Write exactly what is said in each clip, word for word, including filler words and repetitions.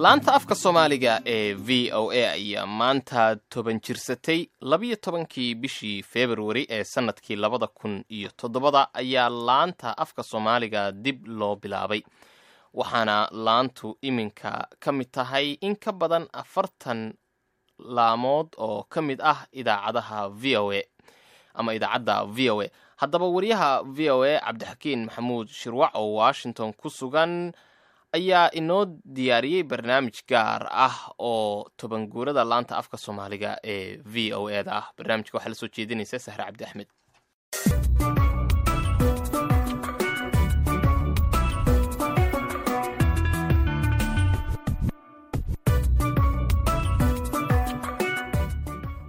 Laanta afka Soomaaliga ee V O A ayaa maanta toban jirsatay. Labiyo tobankii bishii Februari ee sanadkii labada kun iyo toddobada ayaa laanta afka Soomaaliga dib loo bilaabay, waxaana laantu iminka ka mid tahay in ka badan afartan laamood oo ka mid ah idaacadaha V O A ama idaacadda V O A. Haddaba, wariyaha V O A Cabdixakiin Maxamuud Shirwac oo Washington ku sugan ayaa inoo diyaariyey barnaamij gaar ah oo toban guurada laanta afka Soomaaliga ee V O A da ah. Barnaamijka waxaa la soo jeedinaysa Sahre Cabdi Axmed.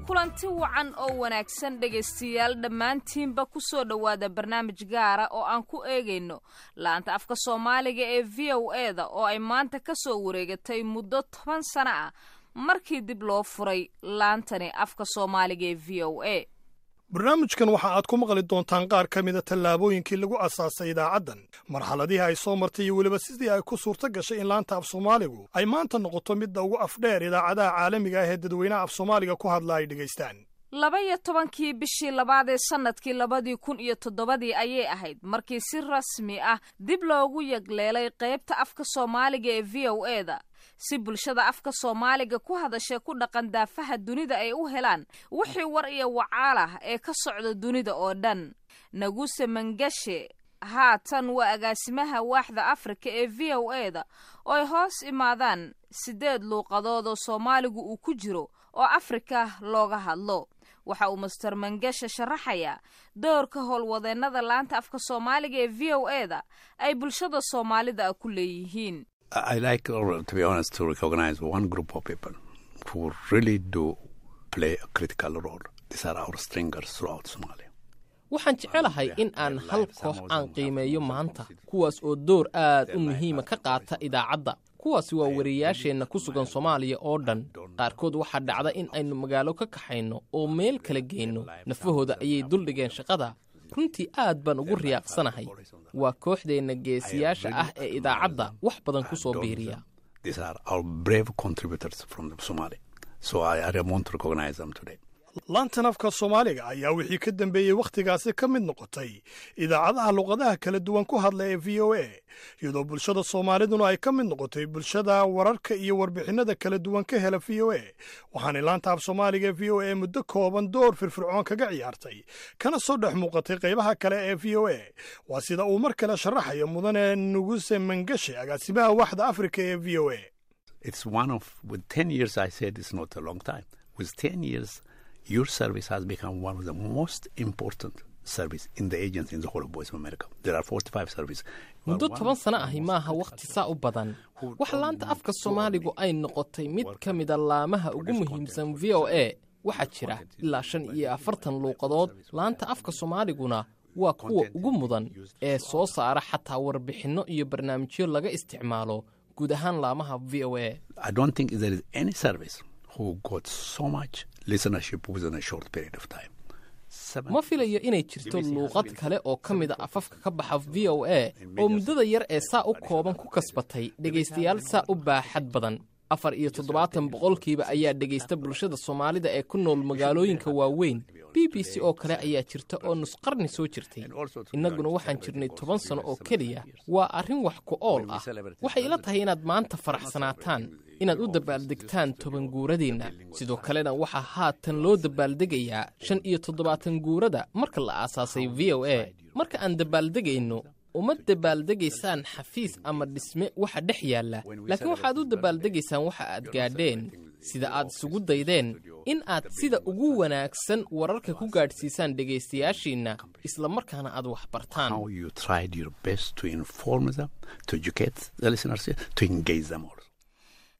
Kulanti wacan oo wanaagsan, dhegaystayaal dhammaantiinba, ku soo dhowaada barnaamij gaara oo aan ku eegayno laanta afka Soomaaliga ee V O A da oo ay maanta ka soo wareegatay muddo toban sano ah markii dib loo furay laantani afka Soomaaliga ee V O A. Barnaamijkan waxa aad ku maqli doontaan qaar ka mida tallaabooyinkii lagu asaasay idaacaddan, marxaladihii ay soo martay iyo weliba sidii ay ku suurto gashay in laanta af Soomaaligu ay maanta noqoto midda ugu afdheer idaacadaha caalamiga ah ee dadweynaha af Soomaaliga ku hadla ay dhegaystaan. Laba iyo tobankii bishii labaad ee sanadkii labadii kun iyo toddobadii ayay ahayd markii si rasmi ah dib loogu yagleelay qaybta afka Soomaaliga ee V O A da, si bulshada afka Soomaaliga ku hadashay ku dhaqan daafaha dunida ay u helaan wixii war iyo wacaal ah ee ka socda dunida oo dhan. Naguse Mangashe haatan waa agaasimaha waaxda Afrika ee V O A da oo ay hoos imaadaan siddeed luuqadood oo Soomaaligu uu ku jiro oo Afrika looga hadlo. Waxa uu Mister Mangashe sharaxayaa doorka howlwadeennada laanta afka Soomaaliga ee V O A da ay bulshada Soomaalida ku leeyihiin. I like, to be honest, to recognize one group of people who really do play a critical role. These are our stringers throughout Somalia. Waxaan jecelahay in aan hal koox aan qiimeeyo maanta, kuwaas oo door aad u muhiima ka qaata idaacadda. Kuwaasi waa wariyaasheenna ku sugan Soomaaliya oo dhan. Qaarkood waxaa dhacda in aynu magaalo ka kaxayno oo meel kala geyno. Nafahooda ayay duldhigeen shaqada. Runtii aad baan ugu riyaaqsanahay. Waa kooxdeenna geesiyaasha ah ee idaacadda wax badan ku soo biiriya. These are our brave contributors from Somalia. So I, I want to recognize them today. Laantan afka Soomaaliga ayaa wixii ka dambeeyey wakhtigaasi ka mid noqotay idaacadaha luqadaha kala duwan ku hadla ee V O A, iyadoo bulshada Soomaaliduna ay ka mid noqotay bulshada wararka iyo warbixinnada kala duwan ka hela V O A. Waxaanay laanta af Soomaaliga ee V O A muddo kooban door firfircoon kaga ciyaartay kana soo dhex muuqatay qaybaha kale ee V O A. Waa sida uu mar kale sharaxayo mudane Nuguse Mangashe, agaasimaha waaxda Afrika ee V O A. It's one of, with ten years, I said it's not a long time. With ten years, your service has become one of the most important service in the agency in the whole of Voice of America. There are forty-five services. Muddo toban sano ahi maaha wakhti saa u badan. Waxa laanta afka Soomaaligu ay noqotay mid ka mida laamaha ugu muhiimsan V O A. Waxaa jira ilaa shan iyo afartan luuqadood, laanta afka Soomaaliguna waa kuwa ugu mudan ee soo saara xataa warbixinno iyo barnaamijyo laga isticmaalo guud ahaan laamaha V O A. I don't think there is any service who got so much listenership within a short period of time. Ma filayo inay jirto luuqad kale oo ka mida afafka ka baxa V O A oo muddada yar ee saa u kooban ku kasbatay dhegaystayaal saa u baaxad badan. Afar iyo toddobaatan boqolkiiba ayaa dhegaysta bulshada Soomaalida ee ku nool magaalooyinka waaweyn. B B C oo kale ayaa jirta oo nusqarni soo jirtay, innaguna waxaan jirnay toban sano oo keliya. Waa arrin wax ku ool ah. Waxay ila tahay inaad maanta faraxsanaataan, inaad u dabaaldegtaan toban guuradeenna. Sidoo kalena waxaa haatan loo dabaaldegayaa shan iyo toddobaatan guurada marka la aasaasay V O A. Marka aan dabaaldegayno, uma dabaaldegaysaan xafiis ama dhisme waxa dhex yaalla, laakiin waxaad u dabaaldegaysaan waxa aad gaadheen, sida aad isugu daydeen in aad sida ugu wanaagsan wararka ku gaadhsiisaan dhegaystayaashiinna, isla markaana aad wax bartaan. How you tried your best to inform them, to educate the listeners, to engage them also.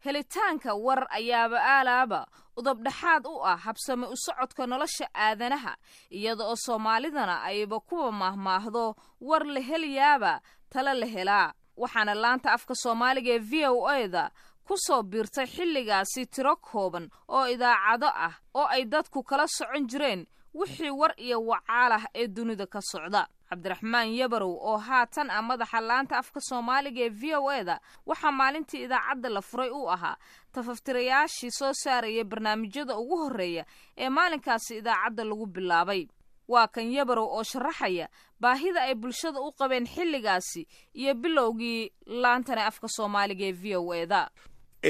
Helitaanka war ayaaba aalaaba udubdhaxaad u ah habsami u socodka nolosha aadanaha, iyada oo Soomaalidana ayba kuwa maahmaahdo "war la helayaaba tala la helaa". Waxaana laanta afka Soomaaliga ee V O A da ku soo biirtay xilligaasi tiro kooban oo idaacado ah oo ay dadku kala socon jireen wixii war iyo wacaal ah ee dunida ka socda. Cabdiraxmaan Yabarow oo haatan ah madaxa laanta afka Soomaaliga ee V O E da waxaa maalintii idaacadda la furay uu ahaa tafaftirayaashii soo saaraya barnaamijyada ugu horreeya ee maalinkaasi idaacadda lagu bilaabay. Waa kan Yabarow oo sharaxaya baahida ay bulshada u qabeen xilligaasi iyo bilowgii laantani afka Soomaaliga ee V O E da.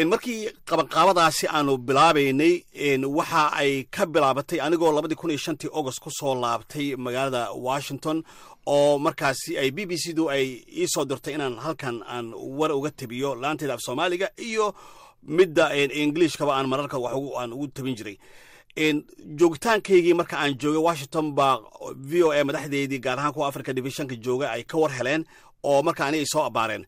Markii qabanqaabadaasi aanu bilaabaynay, waxa ay ka bilaabatay anigoo labadii kun iyo shantii August ku soo laabtay magaalada Washington, oo markaasi ay B B C du ay ii soo dirtay inaan halkan aan war uga tabiyo laanteeda af Soomaaliga iyo midda Englishkaba aan mararka wax aan ugu tabin jiray. Joogitaankaygii marka aan joogay Washington baa V O A madaxdeedii, gaar ahaan kuwa Africa Divisionka jooga, ay ka war heleen oo marka aniga ay soo abaareen.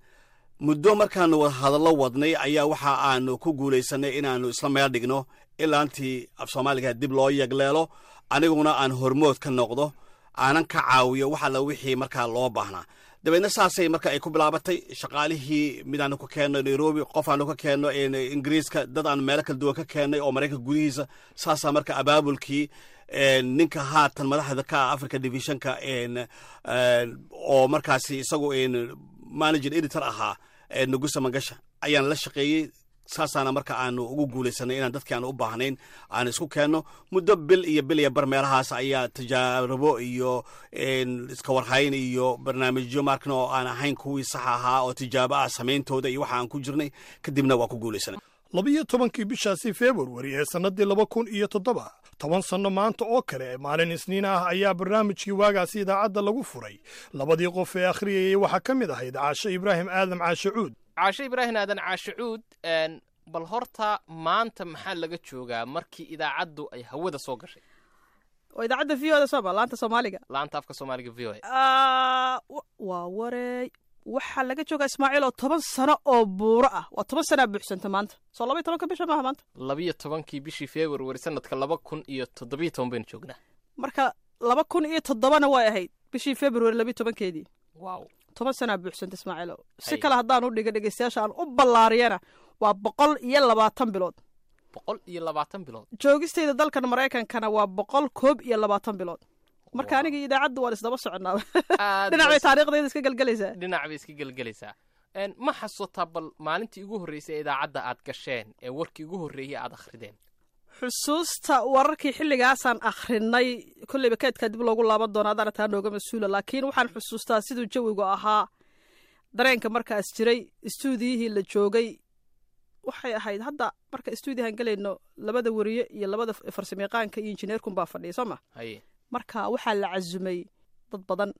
Muddo markaanu hadallo wadnay ayaa waxa aanu ku guulaysanay inaannu isla meel dhigno ilaantii af Soomaaliga dib loo yagleelo, aniguna aan hormood ka noqdo, aanan ka caawiyo wax alla wixii markaa loo baahnaa. Dabeedna saasay marka ay ku bilaabatay. Shaqaalihii midaanu ka keenno Nairobi, qof aanu ka keenno Ingiriiska, dad aanu meelo kala duwan ka keennay oo Maraykanka gudihiisa. Saasaa marka abaabulkii ninka haatan madaxda ka ah Africa Divisionka, oo markaasi isagu manager editor ahaa, Nugusa Mangasha, ayaan la shaqeeyey. Saasaana marka aanu ugu guulaysanay inaan dadkii aanu u baahnayn aan isku keenno. Muddo bil iyo bil iyo bar meelahaas ayaa tijaarabo iyo iska warhayn iyo barnaamijyo markna oo aan ahayn kuwii sax ahaa oo tijaabo ah samayntooda iyo waxa aan ku jirnay, kadibna waa ku guulaysanay. Labiyo tobankii bishaasi Februari ee sannaddii laba kun iyo toddoba, toban sanno maanta oo kale, maalin Isniin ah, ayaa barnaamijkii waagaasi idaacadda lagu furay. Labadii qof ee akhriyayey waxaa ka mid ahayd Caashe Ibraahim Aadam, Caashe Cuud. Caashe Ibraahim Aadan, Caashe Cuud, bal horta maanta maxaa laga joogaa markii idaacaddu ay hawada soo gashay? Oo idaacadda V O da sooma, laanta Soomaaliga? Laanta afka Soomaaliga V O A. Waa wareey, waxaa laga joogaa, Ismaaciil, oo toban sano oo buuro ah. Waa toban sanaa buuxsanta maanta. Soo laba iyo tobanka bisha maaha maanta? Labiyo tobankii bishii February sanadka laba kun iyo toddobiyo toban baynu joognaa. Marka laba kun iyo toddobana way ahayd bishii February labiyo tobankeedii. Wow toban sanaa buuxsanta, Ismaaciilo. Si kale haddaan u dhiga dhegeystayaasha aan u ballaariyana, waa boqol iyo labaatan bilood. Boqol iyo labaatan bilood. Joogistayda dalkan Maraykankana waa boqol koob iyo labaatan bilood. Marka aniga iyo idaacaddu waan isdaba soconaa, dhinac bay taariikhdayda iska gelgelaysaa. Dhinac bay iska gelgelaysaa. Ma xasuutaa bal maalintii ugu horreysay ee idaacadda aad gasheen ee warkii ugu horreeyey aad akhrideen? Xusuusta wararkii xilligaasaan akhrinay kolleyba keedkaa dib loogu laaban doona, adaana taa nooga mas-uula, laakiin waxaan xusuustaa siduu jawigu ahaa, dareenka markaas jiray, istuudiyihii la joogay. Waxay ahayd hadda marka istuudiyahan gelayno labada weriye iyo labada farsamayaqaanka iyo injineerkun baa fadhiya, soo ma? Marka waxaa la casumay dad badan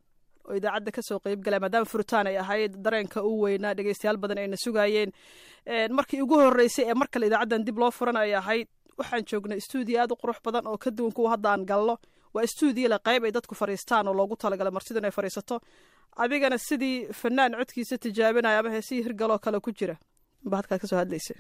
oo idaacadda kasoo qeyb galaya, maadaama furitaan ay ahayd, dareenka u weynaa, dhegeystayaal badan ayna sugaayeen. Markii ugu horreysay ee mar kale idaacaddan dib loo furan ay ahayd. Waxaan joognay istuudiyo aad u qurux badan oo ka duwan kuwa hadda aan gallo. Waa istuudiyo le qayb ay dadku fadhiistaan oo loogu talagalay martidu inay fadhiisato. Adigana sidii fanaan codkiisa tijaabinaya ama heesihii hirgaloo kale ku jira ba halkaad kasoo hadlaysa.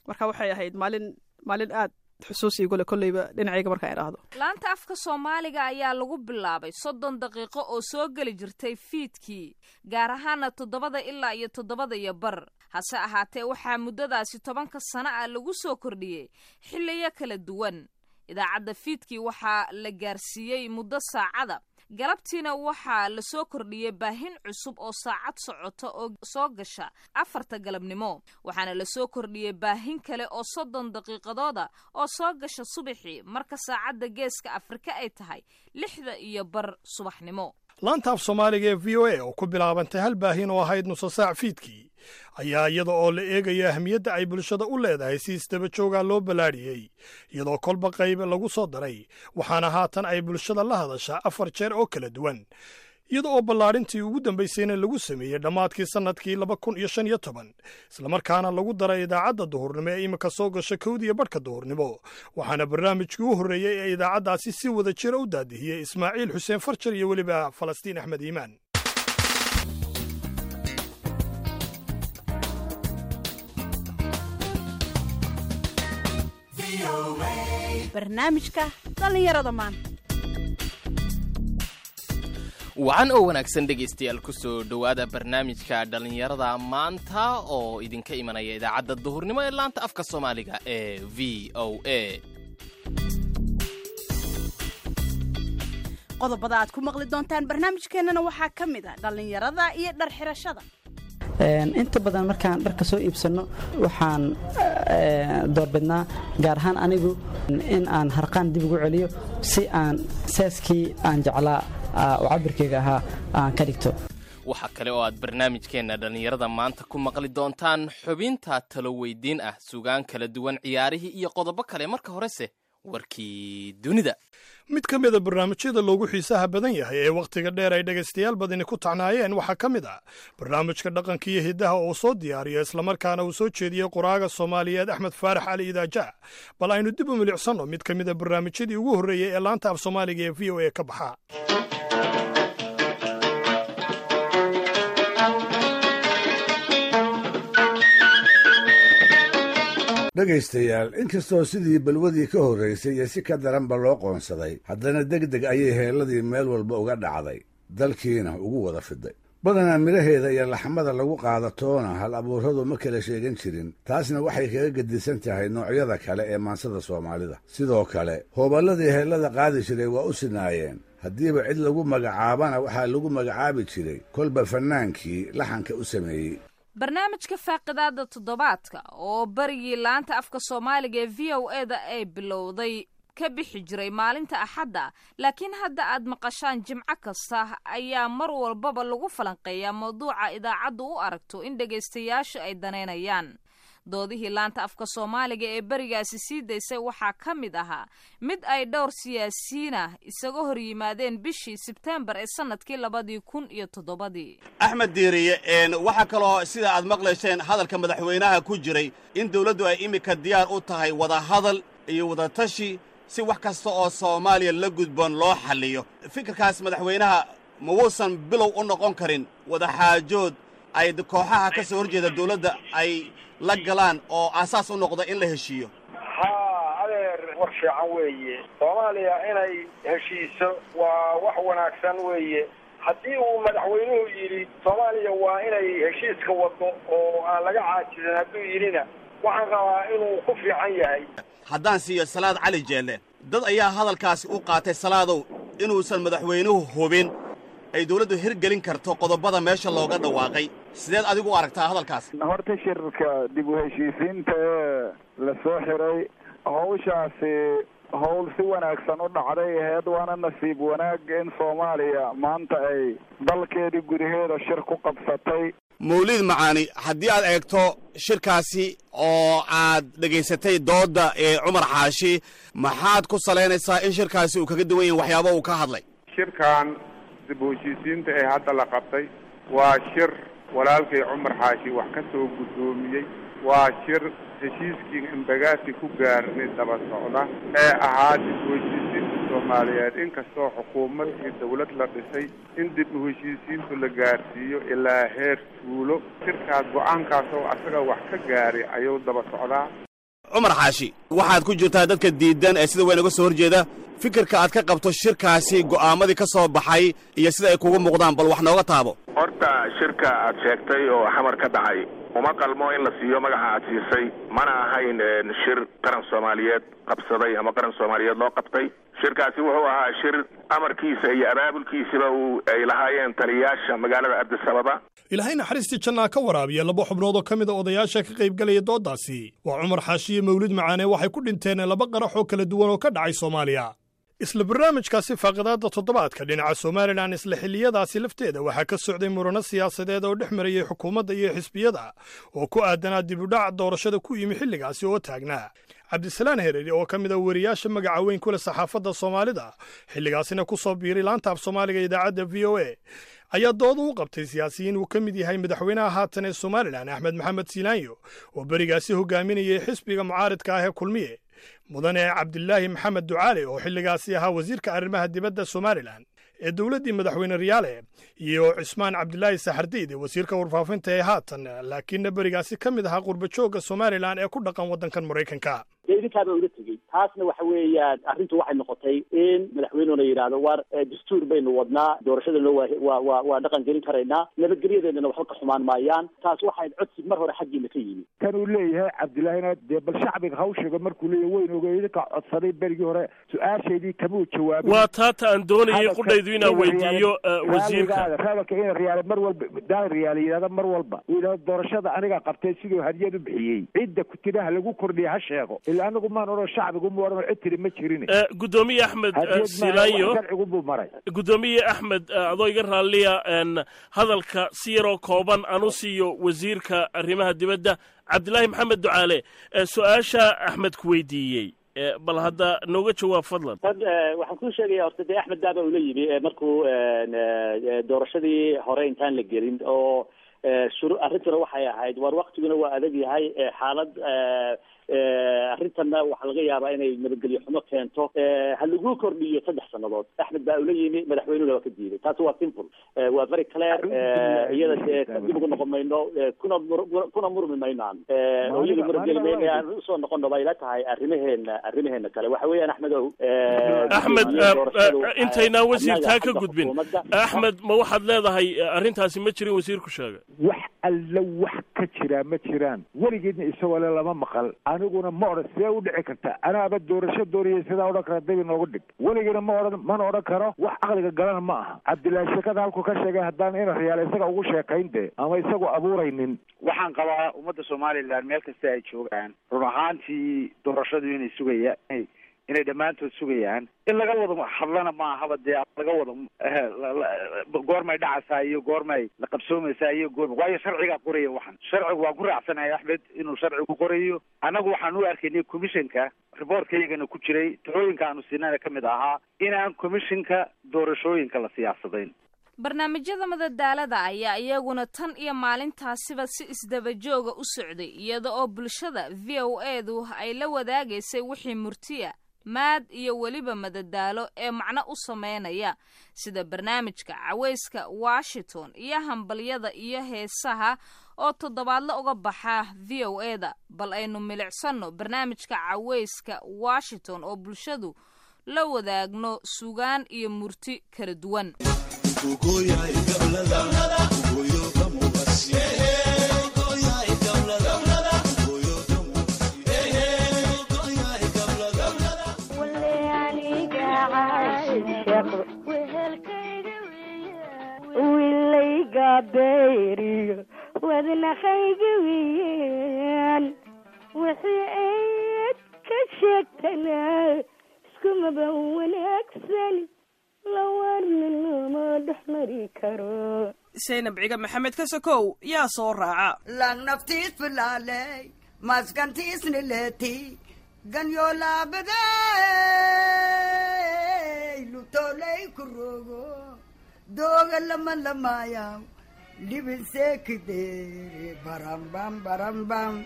Marka waxay ahayd maalin maalin aad xusuus iigu leh kolleyba dhinacayga markaan idhaahdo. Laanta afka Soomaaliga ayaa lagu bilaabay soddon daqiiqo oo soo geli jirtay fiidkii, gaar ahaana toddobada ilaa iyo toddobada iyo bar. Hase ahaatee waxaa muddadaasi tobanka sano ah lagu soo kordhiyey xilliyo kala duwan. Idaacadda fiidkii waxaa la gaarsiiyey muddo saacada, galabtiina waxaa la soo kordhiyey baahin cusub oo saacad socota oo soo gasha afarta galabnimo, waxaana la soo kordhiyey baahin kale oo soddon daqiiqadooda oo soo gasha subaxii marka saacadda Geeska Afrika ay tahay lixda iyo bar subaxnimo. Laanta af Soomaaliga ee V O A oo ku bilaabantay hal baahin oo ahayd nuso saac fiidkii ayaa, iyada oo la eegayo ahmiyadda ay bulshada u leedahay, si isdaba joogaa loo ballaadhiyey, iyadoo kolba qayb lagu soo daray, waxaana haatan ay bulshada la hadashaa afar jeer oo kala duwan, iyada oo ballaadhintii ugu dambaysayna lagu sameeyey dhammaadkii sannadkii laba kun iyo shan iyo toban, islamarkaana lagu daray idaacadda duhurnimo ee iminka soo gasha kowdiyo barhka duhurnimo. Waxaana barnaamijkii u horreeyey ee idaacaddaasi si wada jira u daadihiyey Ismaaciil Xuseen Farjar iyo weliba Falastiin Axmed Iimaan. Barnaamijka dhallinyarada maanta. Wacan oo wanaagsan, dhegaystayaal. Kusoo dhowaada barnaamijka dhallinyarada maanta oo idinka imanaya idaacadda duhurnimo ee laanta afka Soomaaliga ee V O A. Qodobada aad ku maqli doontaan barnaamijkeennana waxaa ka mid ah dhallinyarada iyo dhar xirashada. Inta badan markaan dharka soo iibsanno waxaan doorbidnaa, gaar ahaan anigu, in aan harqaan dib ugu celiyo si aan seeskii aan jeclaa oo cabirkeyga ahaa aan ka dhigto. Waxaa kale oo aad barnaamijkeenna dhallinyarada maanta ku maqli doontaan xubinta talo weydiin ah, sugaan kala duwan, ciyaarihii iyo qodobo kale. Marka horese warkii dunida. Mid ka mida barnaamijyada loogu xiisaha badan yahay ee wakhtiga dheer ay dhegaystayaal badani ku tacnaayeen waxaa ka mid ah barnaamijka dhaqanka iyo hiddaha oo soo diyaariyo islamarkaana uu soo jeediyey qoraaga Soomaaliyeed Axmed Faarax Cali Idaaja. Bal aynu dib u milicsanno mid ka mida barnaamijyadii ugu horreeyey ee laanta af Soomaaliga ee V O A ka baxa. Dhegaystayaal, inkastoo sidii balwadii ka horraysay iyo si ka daranba loo qoonsaday, haddana deg deg ayay heelladii meel walba uga dhacday, dalkiina ugu wada fiday. Badanaa midhaheeda iyo laxmada lagu qaadatoona hal abuurradu ma kala sheegan jirin. Taasna waxay kaga gedisan tahay noocyada kale ee maansada Soomaalida. Sidoo kale hooballadii heellada qaadi jiray waa u sinaayeen. Haddiiba cid lagu magacaabana waxaa lagu magacaabi jiray kolba fannaankii laxanka u sameeyey. Barnaamijka faaqidaada toddobaadka oo barigii laanta afka Soomaaliga ee V O E da ay bilowday ka bixi jiray maalinta Axadda, laakiin hadda aad maqashaan Jimco kasta, ayaa mar walbaba lagu falanqeeyaa mawduuca idaacaddu u aragto in dhegaystayaashu ay danaynayaan. Doodihii laanta afka Soomaaliga ee berigaasi sii daysay waxaa ka mid ahaa mid ay dhowr siyaasiyiin ah isaga hor yimaadeen bishii Sebteembar ee sanadkii labadii kun iyo toddobadii. Axmed Diiriye, waxaa kaloo sida aad maqlayseen hadalka madaxweynaha ku jiray in dawladdu ay iminka diyaar u tahay wadahadal iyo wadatashi si wax kasta oo Soomaaliya la gudboon loo xalliyo. Fikirkaas madaxweynaha ma wuusan bilow u noqon karin wadaxaajood ay kooxaha ka soo horjeeda dawladda ay la galaan oo aasaas u noqda in la heshiiyo? Haa adeer, war fiican weeye. Soomaaliya inay heshiiso waa wax wanaagsan weeye. Haddii uu madaxweynuhu yidhi Soomaaliya waa inay heshiiska wado oo aan laga caajizin, hadduu yidhina, waxaan rabaa inuu ku fiican yahay. Haddaan siiyo Salaad Cali Jeelle, dad ayaa hadalkaasi u qaatay, Salaadow, inuusan madaxweynuhu hubin ay dawladdu hirgelin karto qodobada meesha looga dhawaaqay. Sideed adigu u aragtaa hadalkaas? Horta shirka dib u heshiisiinta ee la soo xiray, hawshaasi hawl si wanaagsan u dhacday aheyd, waana nasiib wanaag in Soomaaliya maanta ay dalkeedii gudaheeda shir ku qabsatay. Mawliid Macaani, haddii aad eegto shirkaasi oo aad dhegaysatay doodda ee Cumar Xaashi, maxaad ku salaynaysaa in shirkaasi uu kaga duwan yahay waxyaaba uu ka hadlay? Shirkan dib u heshiisiinta ee hadda la qabtay waa shir walaalkay Cumar Xaashi wax ka soo guddoomiyey. Waa shir heshiiskii Imbagaasi ku gaarnay daba socda ee ahaa dib u heshiisiinta Soomaaliyeed. Inkastoo xukuumad iyo dawlad la dhisay, in dib u heshiisiintu la gaarsiiyo ilaa heer tuulo, shirkaas go-aankaas oo asaga wax ka gaaray ayuu daba socdaa. Cumar Xaashi, waxaad ku jirtaa dadka diidan ee sida weyn uga soo horjeeda. Fikirka aad ka qabto shirkaasi, go'aamadii ka soo baxay iyo sida ay kugu muuqdaan, bal wax nooga taabo. Horta shirka aad sheegtay oo Xamar ka dhacay uma qalmo in la siiyo magaca aad siisay. Mana ahayn shir qaran Soomaaliyeed qabsaday ama qaran Soomaaliyeed loo qabtay. Shirkaasi wuxuu ahaa shir amarkiisa iyo abaabulkiisiba uu ay lahaayeen taliyayaasha magaalada Addis Ababa. Ilaahay naxariistii jannaa ka waraabiya laba xubnood oo ka mid a odayaasha ka qaybgalaya dooddaasi, waa Cumar Xaashiye Mawlid Macaane. Waxay ku dhinteen laba qarax oo kala duwan oo ka dhacay Soomaaliya. Isla barnaamijkaasi faaqidaadda toddobaadka, dhinaca Somalilan isla xilliyadaasi lafteeda waxaa ka socday murano siyaasadeed oo dhex marayey xukuumadda iyo xisbiyada oo ku aadanaa dibudhac doorashada ku yimi xilligaasi oo taagnaa. Cabdisalaan Hereri oo ka mid a weriyaasha magaca weyn ku leh saxaafadda Soomaalida, xilligaasina ku soo biiray laanta af Soomaaliga idaacadda V O A, ayaa dooda u qabtay siyaasiyiin uu ka mid yahay madaxweynaha haatan ee Somalilan Axmed Maxamed Siilaanyo oo berigaasi hogaaminayay xisbiga mucaaridka ah ee Kulmiye, mudane Cabdilaahi Maxamed Ducaale oo xilligaasi ahaa wasiirka arrimaha dibadda Somalilan ee dowladdii madaxweyne Riyaale, iyo Cismaan Cabdilaahi Saxardiid, wasiirka warfaafinta ee haatan, laakiinna berigaasi ka mid ahaa qurbajoogga Somalilan ee ku dhaqan waddankan Maraykanka. Dee idinkaaba ula tegey. Taasna waxa weeyaan arrintu waxay noqotay in madaxweynuhuna yidhaahdo, war dastuur baynu wadnaa, doorashadana waa waa waa waa dhaqan gelin karaynaa, nabadgelyadeedana waxba ka xumaan maayaan. Taas waxay codsi mar hore xaggiina ka yimi. Kan uu leeyahay Cabdillaahina dee bal shacbiga hawshiga markuu leeyahay weyn oge idinka codsaday berigii hore, su-aashaydii kamuu jawaabin. Waa taata aan doonayay qudhaydu inaan weydiiyo wasiirka. Hadalka ina Riyaale mar walba, Daahir Riyaale yidhahda mar walba uu yidhahdo doorashada aniga qabtay, siduu hadiyad u bixiyey, cidda kutiraha lagu kordhiya ha sheego. Ilaa anagu maan odhan, shacbigu mu odhan, cid tiri ma jirin. Gudoomiye Axmed Silaanyo, sharcigu buu maray. Gudoomiye Axmed, adoo iga raalliya, hadalka si yaroo kooban aan u siiyo wasiirka arrimaha dibadda Cabdilaahi Maxamed Ducaale. Su-aasha Axmed ku weydiiyey bal hadda nooga jawaab fadlan. Tan waxaan kuu sheegaya horta dee Axmed daaba ula yimi markuu doorashadii hore intaan la gelin oo shuru arrintuna waxay ahayd, war waktiguna waa adag yahay, xaalad arrintanna waxaa laga yaabaa inay nabadgelyo xumo keento, ha lagu kordhiyo saddex sannadood. Axmed baa ula yimi, madaxweynuhuna waa ka diiday. Taasi waa simple, waa very clear. Iyada dee dib ugu noqon mayno, kuna kuna murmi mayno, aan oo iyada murgeli mayno, aan usoo noqono bay ila tahay arrimaheena. Arrimaheena kale waxa weeyaan, Axmedow, Axmed, intaynaan wasiirtaa ka gudbin, Axmed, ma waxaad leedahay arrintaasi ma jirin wasiirku sheegay? Wax alla wax ka jiraa ma jiraan, weligeedna isagoo le lama maqal. Aniguna ma odhan sidee u dhici karta, anaaba doorasho dooriyay sidaa odhan kara dabi noogu dhig. Weligiina ma odhan, mana odhan karo, wax caqliga galana ma aha. Cabdillaahi sheekada halkuu ka sheegay haddaan ina Riyaale isaga ugu sheekayn dee ama isagu abuuraynin. Waxaan qabaa ummadda Somaliland meel kasta ay joogaan run ahaantii doorashadu inay sugaya, inay dhammaantood sugayaan. In laga wada hadlana ma ahaba dee laga wada goormay dhacaysaa iyo goormay la qabsoomaysaa iyo goorma, waayo sharcigaa qoraya. Waxaan sharcigu waan ku raacsanahay Axmed inuu sharcigu qorayo. Annagu waxaan u arkaynay commissionka reportkayagana ku jiray, talooyinka aanu siinana ka mid ahaa inaan commissionka doorashooyinka la siyaasadayn. Barnaamijyada madadaalada ayaa iyaguna tan iyo maalintaasiba si isdaba jooga u socday, iyada oo bulshada V O A-du ay la wadaagaysay wixii murtiya, maad iyo weliba madadaalo ee macno u sameynaya, sida barnaamijka Cawayska Washington iyo hambalyada iyo heesaha oo toddobaadla uga baxa V O A-da. Bal aynu milicsanno barnaamijka Cawayska Washington oo bulshadu la wadaagno sugaan iyo murti kala duwan. Wilayga beeriyo wadnaqayga wiyaan, wixii ayd ka sheegtana iskumaba wanaagsan, lawarnanama dhex mari karo. Saynab Ciga Maxamed ka sokow yaa soo raaca. Langnaftiis filaaley maskantiisnileti ganyoolaabadey lutoley kurogo dooga lama lamaaya libinseekidere barambam barambam.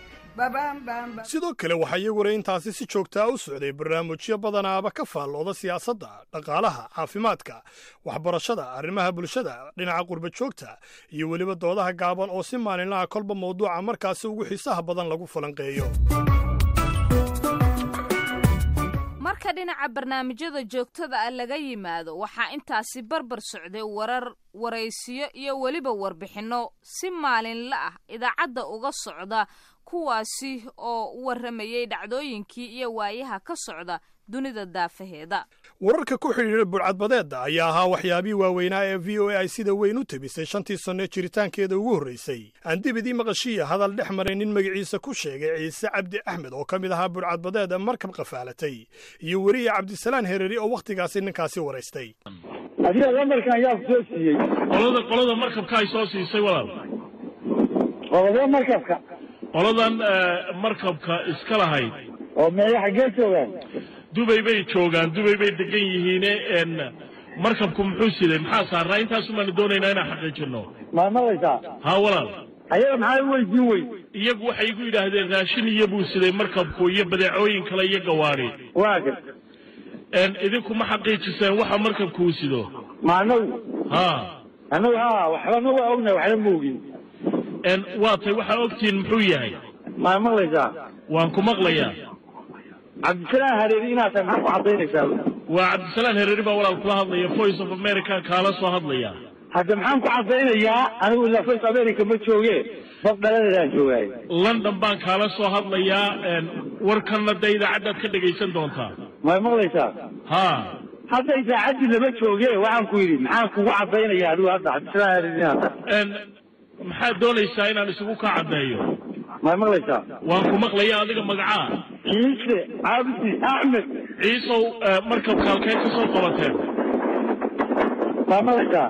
Sidoo kale waxaa iyaguna intaasi si joogtaa u socday barnaamijyo badanaaba ka faallooda siyaasadda, dhaqaalaha, caafimaadka, waxbarashada, arrimaha bulshada, dhinaca qurba joogta iyo weliba doodaha gaaban oo si maalinlaha kolba mawduuca markaasi ugu xiisaha badan lagu falanqeeyo. Marka dhinaca barnaamijyada joogtada ah laga yimaado, waxaa intaasi barbar socday warar, waraysiyo iyo weliba warbixinno si maalinla ah idaacadda uga socda, kuwaasi oo u warramayay dhacdooyinkii iyo waayaha ka socda dunida daafaheeda. Wararka ku xidhiidha burcadbadeedda ayaa ahaa waxyaabihii waaweynaa ee V O A ay sida weyn u tebisay shantii sanno ee jiritaankeeda ugu horraysay. Aan dib idii maqashiya hadal dhex maray nin magaciisa ku sheegay Ciise Cabdi Axmed oo ka mid ahaa burcadbadeeda markab qafaalatay iyo weriye Cabdisalaan Hereri oo wakhtigaasi ninkaasi waraystay. Adiga lambarkan yaa ku soo siiyey? Qolada qolada markabka ay soo siisay walaal. Qolada markabka? Qoladan markabka iska lahayd. Oo meeya xaggee joogaan? Dubay bay joogaan, Dubay bay degan yihiine. Markabku muxuu siday, maxaa saarnaa? Intaasumaanu doonaynaa inaan xaqiijino. Ma maqlaysaa? Haa walaal. Ayaga maxaa u weydiin wey? Iyagu waxay igu yidhaahdeen raashin iyo buu siday markabku iyo badeecooyin kale iyo gawaari. Waaga idinku ma xaqiijiseen waxa markabku uu sido? Ma anagu? Haa anagu haa, waxbana waa ognahay, waxna ma ogin. Waa tay waxaa ogtihiin muxuu yahay? Ma maqlaysaa? Waan ku maqlayaa. Cabdisalaan Hareeri inaad tahay maxaa ku caddaynaysaa? Waa Cabdisalaan Hareeri baa walaal kula hadlaya, Voice of America kaala soo hadlaya. Hadda maxaan ku caddaynayaa anigu? Ilaa Voice America ma jooge, bad dhaladeedaan joogaay. London baan kaala soo hadlayaa, warkanna dee idaacaddaad ka dhegaysan doontaa. Ma maqlaysaa? Ha. Hadda idaacaddii lama jooge, waxaan ku yidhi maxaan kugu caddaynayaa anigu hadda Cabdisalaan Hareeri inaad tahay? Maxaad doonaysaa inaan isugu kaa caddeeyo? Ma maqlaysaa? Waan ku maqlaya. Adiga magacaa? Ciise Cabdi Axmed. Ciisow, markabka halkee ka soo qabateen? Ma maqlaysaa?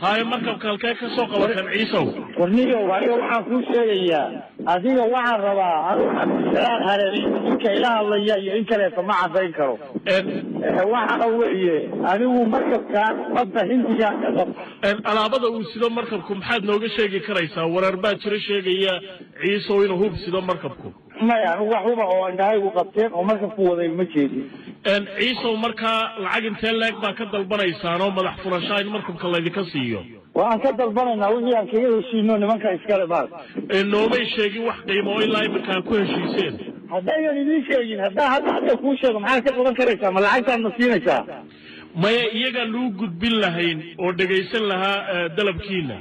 Haye, markabka halkee ka soo qabateen, Ciisow? Warniyow, aniga waxaan kuu sheegayaa, adiga waxaan rabaa anigu Cabdisalaan Hareeri ninka ila hadlaya iyo in kaleeto ma caddayn karo. Waxaana weeye anigu markabkaan badda Hindiga ka qab Alaabada uu sido markabku maxaad nooga sheegi karaysaa? Warar baa jiro sheegaya, Ciisow, inuu hub sido markabku. Maya, anigu wax huba oo indhahaygu qabteen oo markabku waday ma jeedin. Ciisow, markaa lacag intee leeg baa ka dalbanaysaan oo madax furashaa in markabka laydinka siiyo? Waan ka dalbanaynaa wixii aan kaga heshiino nimanka iskale maal. Noomay sheegin wax qiimo oo ilaa iminka aad ku heshiiseen. Haddaynan idiin sheegin, haddaa hadda hadda kuu sheego, maxaad ka qaban karaysaa? Ma lacagtaad ma siinaysaa? Maya, iyagaan lagu gudbin lahayn oo dhegaysan lahaa dalabkiina.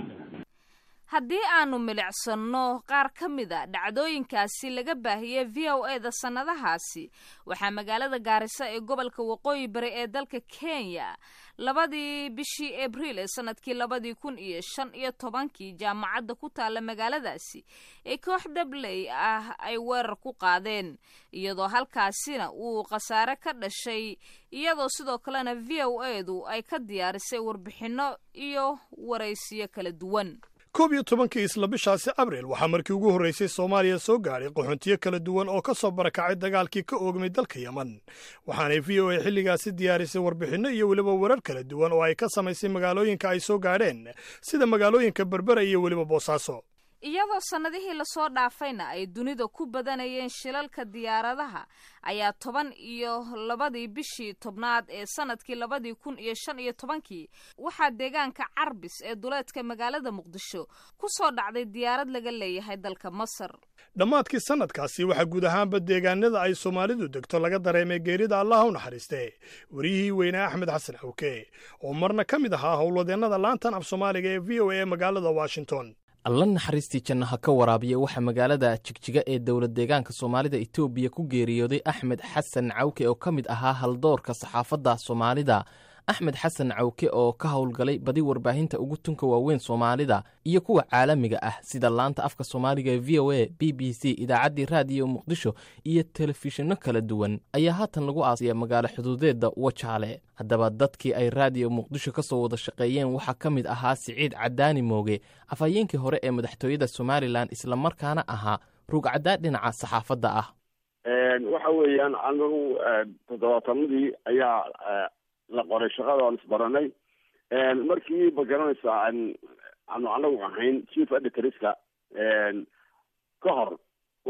Haddii aanu milicsanno qaar ka mid a dhacdooyinkaasi laga baahiyey V O E da sannadahaasi, waxaa magaalada Gaarisa ee gobolka Waqooyi Bari ee dalka Kenya labadii bishii Abriil ee sanadkii labadii kun iyo shan iyo tobankii jaamacadda ku taalla magaaladaasi ee koox dabley ah ay weerar ku qaadeen, iyadoo halkaasina uu khasaare ka dhashay, iyadoo sidoo kalena V O E du ay ka diyaarisay warbixinno iyo waraysiyo kala duwan. Koob iyo tobankii isla bishaasi Abriil waxaa markii ugu horraysay Soomaaliya soo gaadhay qaxoontiyo kala duwan oo ka soo barakacay dagaalkii ka oogmay dalka Yeman, waxaanay V O A xilligaasi diyaarisay warbixinno iyo weliba warar kala duwan oo ay ka samaysay magaalooyinka ay soo gaadheen, sida magaalooyinka Berbera iyo weliba Boosaaso. Iyadoo sannadihii lasoo dhaafayna ay dunida ku badanayeen shilalka diyaaradaha, ayaa toban iyo labadii bishii tobnaad ee sanadkii labadii kun iyo shan iyo tobankii waxaa deegaanka Carbis ee duleedka magaalada Muqdisho ku soo dhacday diyaarad laga leeyahay dalka Masar. Dhammaadkii sannadkaasi waxaa guud ahaanba deegaanada ay Soomaalidu degto laga dareemay geerida, Allaha u naxariiste, wariyihii weynaa Axmed Xasan Cawke, oo marna ka mid ahaa howlwadeennada laantan af Soomaaliga ee V O A ee magaalada Washington. Alla naxariistii jannaha ka waraabiya, waxaa magaalada Jigjiga ee dowlad deegaanka Soomaalida Itoobiya ku geeriyooday Axmed Xasan Cawke oo ka mid ahaa haldoorka saxaafadda Soomaalida. Axmed Xasan Cawke oo ka howlgalay badi warbaahinta ugu tunka waaweyn Soomaalida iyo kuwa caalamiga ah, sida laanta afka Soomaaliga ee V O A, B B C, idaacaddii Raadiyo Muqdisho iyo telefishinno kala duwan, ayaa haatan lagu aasaya magaalo xuduudeedda Wajaale. Haddaba dadkii ay Raadiyo Muqdisho ka soo wada shaqeeyeen waxaa ka mid ahaa Siciid Cadaani Mooge, afhayeenkii hore ee madaxtooyada Somalilan, islamarkaana ahaa rugcaddaa dhinaca saxaafadda ah. Waxa weeyaan anagu toddobaatanadii ayaa la qoray shaqada oon isbaranay. Markii ma garanaysaa aanu anagu ahayn chief editorska ka hor,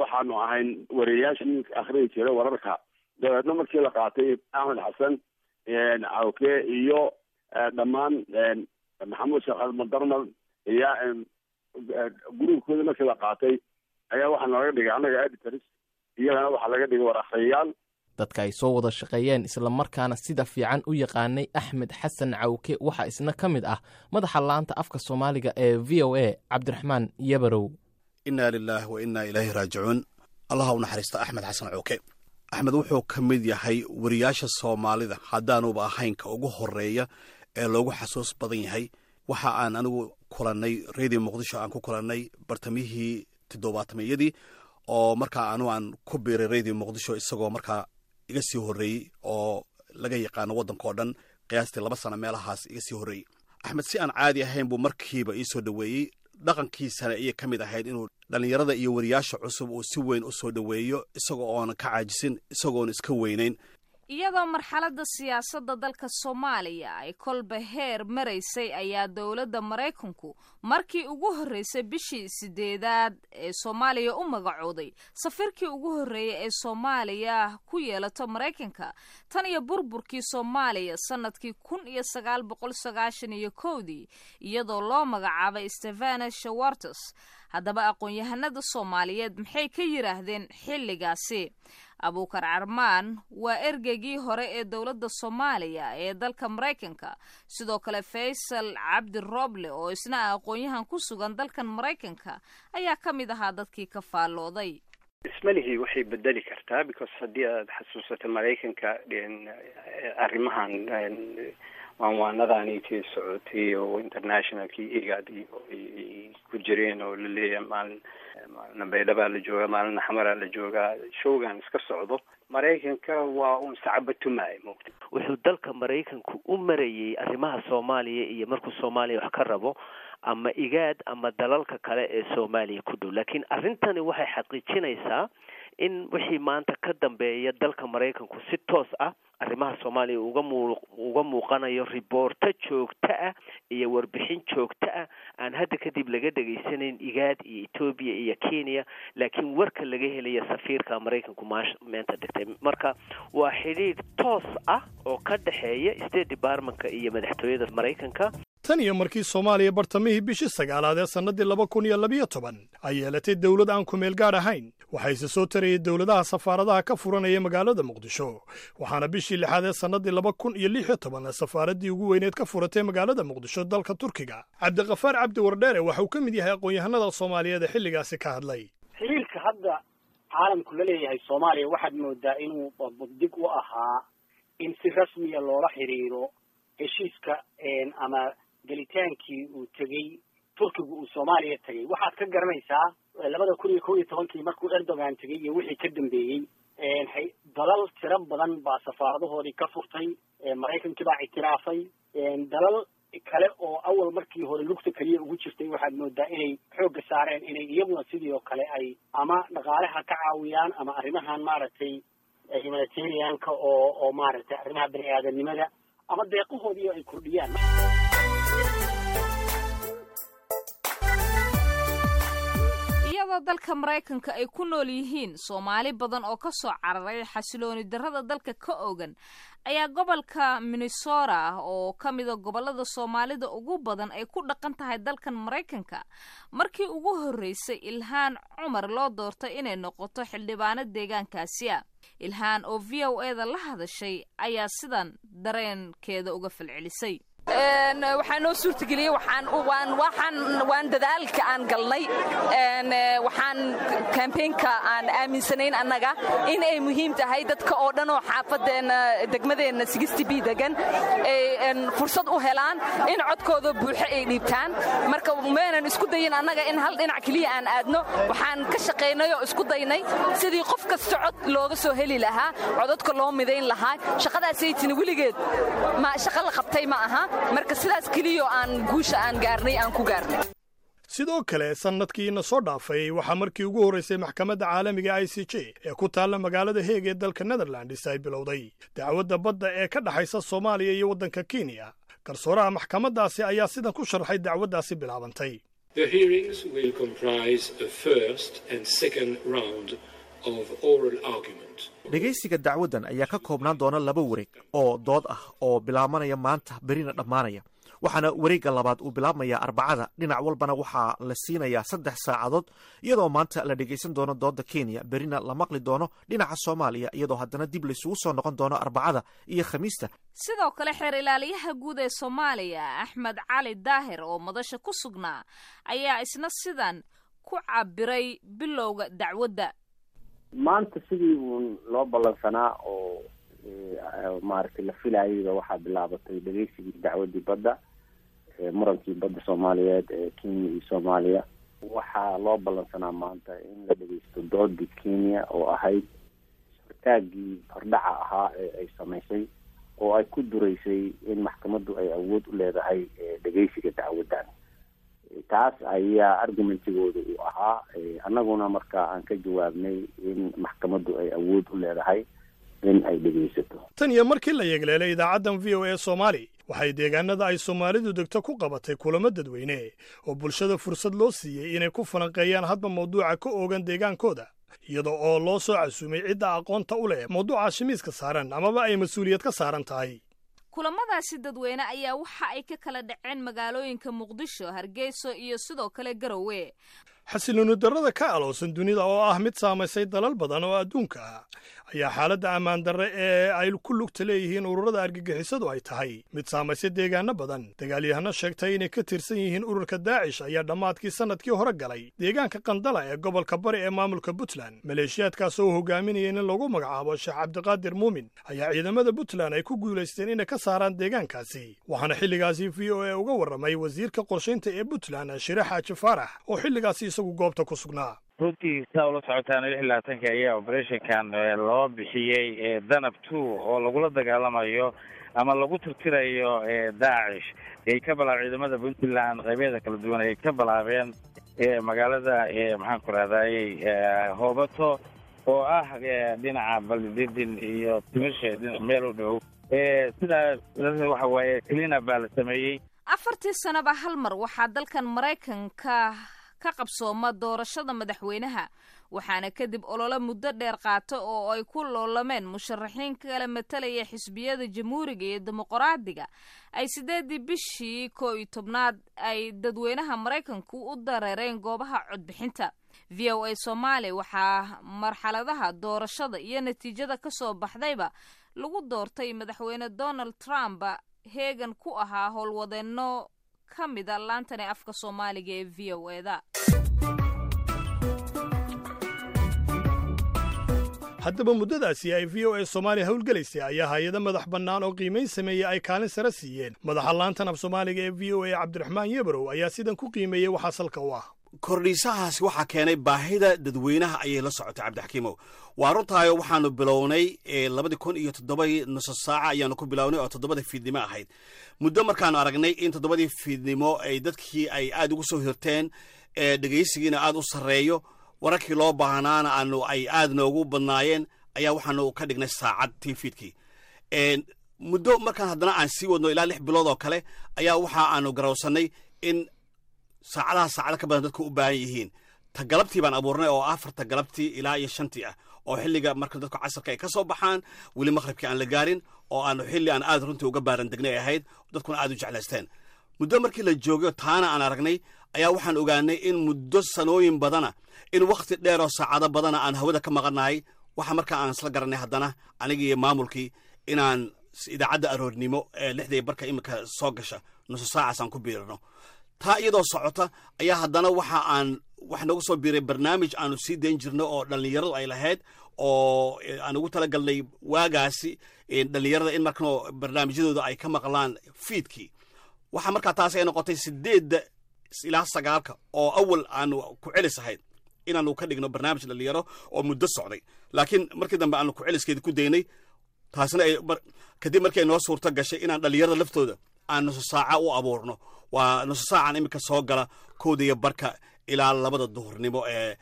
waxaanu ahayn wariyayaashii akhriyi jiray wararka. Dabeedna markii la qaatay Axmed Xasan Cawke iyo dhammaan Maxamuud Sheekh Almadarmal iyo gruubkooda markii la qaatay, ayaa waxaa nooga dhigay annaga editors, iyagana waxaa laga dhigay war akhriyayaal. Dadka ay soo wada shaqeeyeen islamarkaana sida fiican u yaqaanay Axmed Xasan Cawke waxaa isna ka mid ah madaxa laanta afka Soomaaliga ee V O A, Cabdiraxmaan Yabarow. Innaa lilaahi wa innaa ilaahi raajicuun. Allaha u naxariista Axmed Xasan Cawke. Axmed wuxuu ka mid yahay wariyaasha Soomaalida, haddaanuba ahayn ka ugu horeeya ee loogu xasuus badan yahay. Waxa aan anigu kulannay Radio Muqdisho, aan ku kulannay bartamihii toddobaatameyadii, oo markaa anu aan ku biiray Radio Muqdisho isagoo markaa iga sii horreeyey oo laga yaqaano waddanka oo dhan, qiyaastii laba sano meelahaas iga sii horreeyey. Axmed si aan caadi ahayn buu markiiba ii soo dhoweeyey. Dhaqankiisana ayay ka mid ahayd inuu dhallinyarada iyo wariyaasha cusub uu si weyn u soo dhoweeyo, isagoo oonan ka caajisin, isagoon iska weynayn. Iyadoo marxaladda siyaasadda dalka Soomaaliya ay kolba heer maraysay, ayaa dowladda Maraykanku markii ugu horreysay bishii sideedaad ee Soomaaliya u magacooday safiirkii ugu horreeyay ee Soomaaliya ku yeelato Maraykanka tan iyo burburkii Soomaaliya sanadkii kun iyo sagaal boqol sagaashan iyo kowdii, iyadoo loo magacaabay Stefana Shawartes. Haddaba aqoon-yahanada Soomaaliyeed maxay ka yidhaahdeen xilligaasi? Abuukar Carmaan waa ergeygii hore ee dowladda Soomaaliya ee dalka Maraykanka. Sidoo kale Faysal Cabdi Rooble oo isna ah aqoon-yahan ku sugan dalkan Maraykanka ayaa ka mid ahaa dadkii ka faallooday. Ismalihii waxay bedeli kartaa, because haddii aad xasuusato Maraykanka arrimahan waanwaanadaanitii socotay oo internationalkii IGAD iyo ku jireen oo laleeyahay maalin maalina Baydhabaa la joogaa, maalina Xamaraa la joogaa, showgan iska socdo, Maraykanka waa uun sacabatumaayo mogta. Wuxuu dalka Maraykanku u marayay arrimaha Soomaaliya iyo markuu Soomaaliya wax ka rabo ama IGAD ama dalalka kale ee Soomaaliya ku dhow, laakiin arrintani waxay xaqiijinaysaa in wixii maanta ka dambeeya dalka Maraykanku si toos ah arrimaha Soomaaliya uga muu uga muuqanayo, riboorto joogto ah iyo warbixin joogto ah aan hadda kadib laga dhegaysanayn IGAD iyo Etoobiya iyo Kenya, laakiin warka laga helaya safiirka Maraykanku maash meenta dhigtay. Marka waa xidhiidh toos ah oo ka dhexeeya State Departmentka iyo madaxtooyada Maraykanka. Tan iyo markii Soomaaliya bartamihii bishii sagaalaad ee sannaddii laba kun iyo labiyo toban ay yeelatay dowlad aan ku meel gaadh ahayn, waxayse soo tarayay dowladaha safaaradaha ka furanaya magaalada Muqdisho, waxaana bishii lixaad ee sannaddii laba kun iyo lix iyo toban safaaraddii ugu weyneed ka furatay magaalada Muqdisho dalka Turkiga. Cabdiqafaar Cabdi Wardheere waxa uu ka mid yahay aqoon-yahanada Soomaaliyeed ee xilligaasi ka hadlay. Xiriirka hadda caalamku la leeyahay Soomaaliya waxaad moodaa inuu dig u ahaa in si rasmiya loola xiriiro heshiiska ama gelitaankii uu tegey Turkigu uu Soomaaliya tegey. Waxaad ka garanaysaa labada kun iyo kow iyo tobankii markuu Erdogan tegey iyo wixii ka dambeeyey, dalal tiro badan baa safaaradahoodii ka furtay, Maraykankii baa ictiraafay, dalal kale oo awal markii hore lugta keliya ugu jirtay waxaad moodaa inay xoogga saareen inay iyaguna sidii oo kale ay ama dhaqaalaha ka caawiyaan ama arrimahan maaragtay humanitarianka oo oo maaragtay arrimaha bani aadamnimada ama deeqahoodii ay kordhiyaan. Iyadoo dalka Maraykanka ay ku nool yihiin Soomaali badan oo ka soo cararay xasilooni darrada dalka ka ogan, ayaa gobolka Minnesota ah oo ka mida gobollada Soomaalida ugu badan ay ku dhaqan tahay dalkan Maraykanka markii ugu horreysay Ilhaan Cumar loo doortay inay noqoto xildhibaano deegaankaasi ah. Ilhaan oo V O E da la hadashay ayaa sidan dareenkeeda uga falcelisay. Waxaa noo suurtageliyey waxaan waan waxaan waan dadaalka aan galnay, waxaan kambeynka aan aaminsanayn annaga in ay muhiim tahay dadka oo dhan oo xaafadeenna degmadeenna sixty b degan ay fursad u helaan in codkooda buuxo ay dhiibtaan. Marka meenan isku dayin annaga in hal dhinac keliya aan aadno, waxaan ka shaqaynay oo isku daynay sidii qof kasta cod looga soo heli lahaa, codadka loo midayn lahaa. Shaqadaasaytina weligeed ma shaqo la qabtay ma aha, marka sidaas keliyo aan guusha aan gaarnay aan ku gaarnay. Sidoo kale sannadkiina soo dhaafay waxaa markii ugu horraysay maxkamadda caalamiga I C J ee ku taalla magaalada Heeg ee dalka Netherlands ay bilowday dacwadda badda ee ka dhexaysa Soomaaliya iyo waddanka Kenya. Garsooraha maxkamaddaasi ayaa sidan ku sharxay dacwaddaasi bilaabantay. The hearings will comprise a first and second round of oral argument. Dhegaysiga dacwaddan ayaa ka koobnaan doona laba wareeg oo dood ah oo bilaabanaya maanta berina dhammaanaya, waxaana wareegga labaad uu bilaabmayaa Arbacada. Dhinac walbana waxaa la siinayaa saddex saacadood, iyadoo maanta la dhegaysan doono doodda Kenya, berina la maqli doono dhinaca Soomaaliya, iyadoo haddana dib laysugu soo noqon doono Arbacada iyo Khamiista. Sidoo kale xeer ilaaliyaha guud ee Soomaaliya Axmed Cali Daahir oo madasha ku sugnaa ayaa isna sidan ku cabiray bilowga dacwadda. Maanta sidii uun loo ballansanaa oo maaragtay la filaayayba waxaa bilaabatay dhegeysigii dacwaddii badda, murankii badda Soomaaliyeed ee Kenya iyo Soomaaliya. Waxaa loo ballansanaa maanta in la dhegeysto doodii Kenya oo ahayd hortaaggii hordhaca ahaa ee ay samaysay oo ay ku duraysay in maxkamaddu ay awood u leedahay dhegeysiga dacwaddan. Taas ayaa argumentigooda uu ahaa, annaguna marka aan ka jawaabnay in maxkamaddu ay awood u leedahay in ay dhegaysato. Tan iyo markii la yeegleelay idaacaddan V O A Soomaali waxay deegaanada ay Soomaalidu degto ku qabatay kulamo dadweyne oo bulshada fursad loo siiyey inay ku falanqeeyaan hadba mawduuca ka oogan deegaankooda, iyadoo oo loo soo casuumay cidda aqoonta u leh mawduuca shimiiska saaran amaba ay mas-uuliyad ka saaran tahay. Kulamadaasi dadweyne ayaa waxa ay ka kala dhaceen magaalooyinka Muqdisho, Hargeysa iyo sidoo kale Garowe. Xasilooni darrada ka alowsan dunida oo ah mid saamaysay dalal badan oo adduunka ah ayaa xaaladda ammaan darre ee ay ku lugta leeyihiin ururada argagixisadu ay tahay mid saamaysay deegaano badan. Dagaalyahano sheegtay inay ka tirsan yihiin ururka Daacish ayaa dhammaadkii sannadkii hore galay deegaanka Qandala ee gobolka Bari ee maamulka Puntland. Maleeshiyaadkaas oo hogaaminaya in lagu magacaabo Sheekh Cabdiqaadir Muumin ayaa ciidamada Puntland ay ku guulaysteen inay ka saaraan deegaankaasi, waxaana xilligaasi V O A uga warramay wasiirka qorshaynta ee Puntland, Shire Xaaji Faarax, oo xilligaasi isagu goobta ku sugnaa. Runtii, saa ula socotaan, lix iyo labaatanka ayaa operationkan loo bixiyey Danab Two oo lagula dagaalamayo ama lagu tirtirayo Daacish ay ka bilaab ciidamada Puntland qaybeeda kala duwan ay ka bilaabeen magaalada, maxaan ku rahdaayey, Hoobato oo ah dhinaca Baldidin iyo Timishe dhinac meel u dhow. Sidaas waxa waaye cleanup baa la sameeyey. Afartii sanaba hal mar waxaa dalkan Maraykanka ka qabsooma doorashada madaxweynaha, waxaana kadib olole muddo dheer qaata oo ay ku loolameen musharaxiin kala matalaya xisbiyada Jamhuuriga iyo Dimuqraadiga ay sideedii bishii koo iyo tobnaad ay dadweynaha Maraykanku u dareereen goobaha codbixinta. V O A Soomaaliya waxaa marxaladaha doorashada iyo natiijada kasoo baxdayba lagu doortay madaxweyne Donald Trump heegan ku ahaa howlwadeenno ka mida laantani afka Soomaaliga ee V O A da. Haddaba, muddadaasi ay V O A Soomaaliya howlgelaysay ayaa hay-ado madax bannaan oo qiimayn sameeyey ay kaalin sare siiyeen. Madaxa laantan af Soomaaliga ee V O A, Cabdiraxmaan Yebrow, ayaa sidan ku qiimeeyey waxaa salka u ah. Kordhiisahaasi waxaa keenay baahida dadweynaha ayay la socotay. Cabdixakiimow, waa runtaayo, waxaanu bilownay labadii kun iyo toddobadii, nuso saaca ayaanu ku bilownay oo toddobada fiidnimo ahayd. Muddo markaanu aragnay in toddobadii fiidnimo ay dadkii ay aad ugu soo hirteen, dhegaysigiina aad u sarreeyo, wararkii loo baahnaana aanu ay aad noogu badnaayeen, ayaa waxaanu ka dhignay saacad tii fiidkii. Muddo markaan haddana aan sii wadno ilaa lix bilood oo kale ayaa waxa aanu garawsannay in saacadaha saacado ka badan dadku u baahan yihiin. Ta galabtii baan abuurnay oo afarta galabtii ilaa iyo shantii ah, oo xilliga marka dadku casarka ay ka soo baxaan, weli maqribkii aan la gaarin, oo aanu xilli aan aad runtii uga baaran degnay ahayd, dadkuna aad u jeclaysteen. Muddo markii la joogay taana aan aragnay ayaa waxaan ogaanay in muddo sanooyin badana, in wakhti dheer oo saacado badana aan hawada ka maqannahay. Waxa markaa aan isla garanay haddana anigii iyo maamulkii inaan idaacadda aroornimo ee lixda barka iminka soo gasha nuso saacaas aan ku biirino. Taa iyadoo socota ayaa haddana waxa aan wax noogu soo biiray barnaamij aanu sii dayn jirno oo dhallinyaradu ay lahayd, oo aan ugu talagalnay waagaasi dhallinyarada in markano barnaamijyadooda ay ka maqlaan fiidkii. Waxaa markaa taas ay noqotay sideedda ilaa sagaalka oo awal aanu ku celis ahayd inaanu ka dhigno barnaamij dhallinyaro oo muddo socday, laakiin markii dambe aanu ku celiskeedi ku daynay. Taasna ay kadib markii ay noo suurto gashay inaan dhallinyarada laftooda aan nuso saaca u abuurno. Waa nuso saacan iminka soo gala kowda iyo barka ilaa labada duhurnimo ee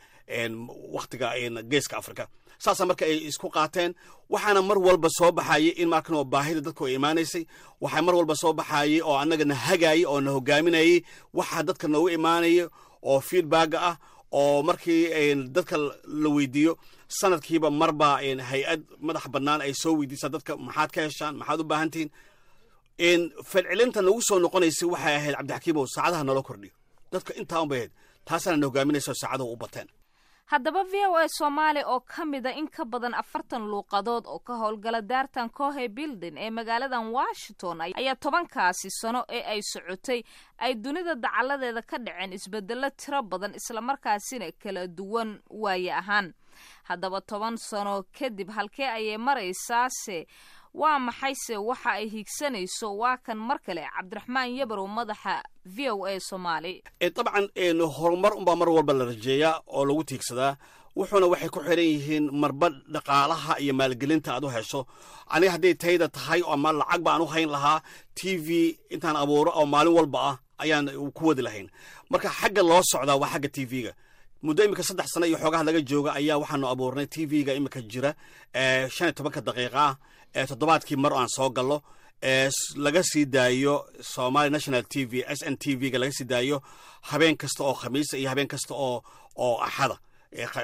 wakhtiga Geeska Afrika. Saasaa marka ay isku qaateen. Waxaana mar walba soo baxayay in markan baahida dadku ay imaanaysay. Waxaa mar walba soo baxayay oo annaga na hagaayay oo na hogaaminayay waxaa dadka noogu imaanaya oo feedbacka ah, oo markii dadka la weydiiyo sanadkiiba marba hay-ad madax bannaan ay soo weydiisaa dadka: maxaad ka heshaan, maxaad u baahan tihiin? Falcelinta nagu soo noqonaysay waxay ahayd, Cabdixakiimow, saacadaha naloo kordhiyo. Dadka intaa un bay ahayd, taasaana na hogaaminaysa oo saacadahu u bateen. Haddaba, V O A Soomaali oo ka mida in ka badan afartan luuqadood oo ka howlgala daartan Cohe Building ee magaaladan Washington ayaa tobankaasi sano ee ay socotay ay dunida dacaladeeda ka dhaceen isbedelo tiro badan, islamarkaasina kala duwan waaye ahaan. Haddaba, toban sano kadib halkee ayay maraysaase? Waa maxayse waxa ay hiigsanayso? Waa kan mar kale Cabdiraxmaan Yabarow, madaxa V O A Soomaali. Dabcan, horumar unbaa mar walba la rajeeyaa oo lagu tiigsadaa, wuxuuna waxay ku xiran yihiin marba dhaqaalaha iyo maalgelinta aad u hesho. Aniga hadday tayda tahay ama lacag baan u hayn lahaa, T V intaan abuuro oo maalin walba ah ayaan ku wadi lahayn. Marka xagga loo socdaa waa xagga T V-ga. Muddo iminka saddex sano iyo xoogaha laga jooga ayaa waxaanu abuurnay T V-ga iminka jira ee shan iyo tobanka daqiiqa ah ee toddobaadkii mar aan soo gallo, ee laga sii daayo Somali National T V, S N T V-ga laga sii daayo habeen kasta oo Khamiisa iyo habeen kasta oo oo Axada.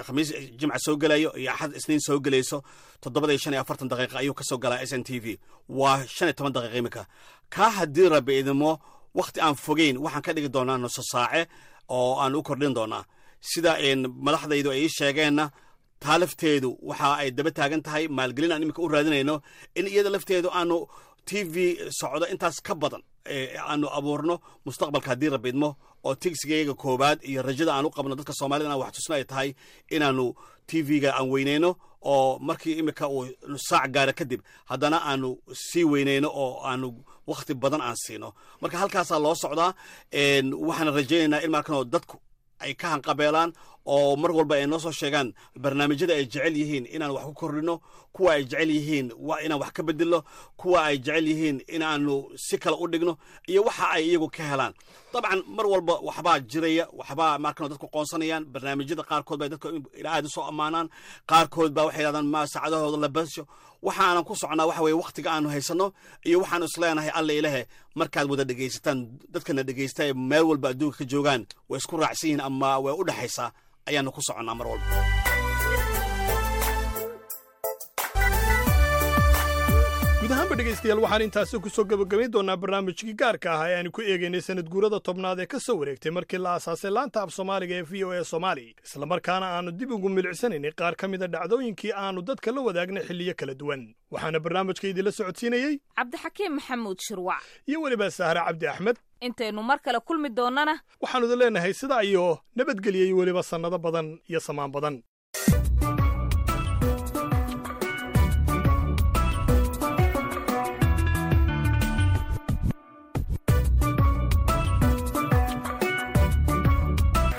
Khamiis Jimca soo gelayo iyo Axad Isniin soo gelayso, toddobada iyo shan iyo afartan daqiiqa ayuu kasoo galaa S N T V. Waa shan iyo toban daqiiqa iminka. Kaa haddii Rabbi idimo, wakhti aan fogeyn waxaan ka dhigi doonaa nuso saace oo aan u kordhin doonaa. Sida madaxdaydu ay ii sheegeenna, taa lafteedu waxa ay daba taagan tahay maalgelin aan iminka u raadinayno in iyada lafteedu aanu T V socdo intaas ka badan aanu abuurno mustaqbalka, haddii Rabbi idmo, oo tigsigayaga koowaad iyo rajada aan u qabno dadka Soomaalida inaan wax tusno ay tahay inaanu T V-ga aan weyneyno, oo markii iminka uu saac gaara kadib haddana aanu sii weyneyno oo aanu wakhti badan aan siino. Marka halkaasaa loo socdaa. Waxaan rajaynaynaa in markanoo dadku ay ka hanqabeelaan oo mar walba ay noo soo sheegaan barnaamijyada ay jecel yihiin inaan wax ku kordhino, kuwa ay jecel yihiin waa inaan wax ka bedelno, kuwa ay jecel yihiin inaanu si kale u dhigno, iyo waxa ay iyagu ka helaan. Dabcan mar walba waxbaa jiraya, waxbaa markan dadku qoonsanayaan. Barnaamijyada qaarkood bay dadku aad u soo ammaanaan, qaarkood baa waxay yidhahdaan ma saacadahooda la basho. Waxaanan ku socnaa waxa weye wakhtiga aanu haysanno iyo waxaanu isleenahay Alla ilahe markaad wada dhegaysataan. Dadkana dhegaysta ee meel walba adduunka ka joogaan way isku raacsan yihiin ama way u dhexaysaa ayaanu ku soconnaa mar walba. Guud ahaanba dhegaystayaal, waxaan intaasi ku soo gebagabayn doonaa barnaamijkii gaarka ah ee aanu ku eegaynay sanad guurada tobnaad ee ka soo wareegtay markii la aasaasay laanta af Soomaaliga ee V O A Soomaali, islamarkaana aanu dib ugu milicsanaynay qaar ka mida dhacdooyinkii aanu dadka la wadaagnay xilliyo kala duwan. Waxaana barnaamijka idinla socodsiinayey Cabdixakiim Maxamuud Shirwac iyo weliba Sahre Cabdi Axmed. Intaynu mar kale kulmi doonnana, waxaanu idin leenahay sidaa iyo nabadgelya iyo weliba sannado badan iyo samaan badan.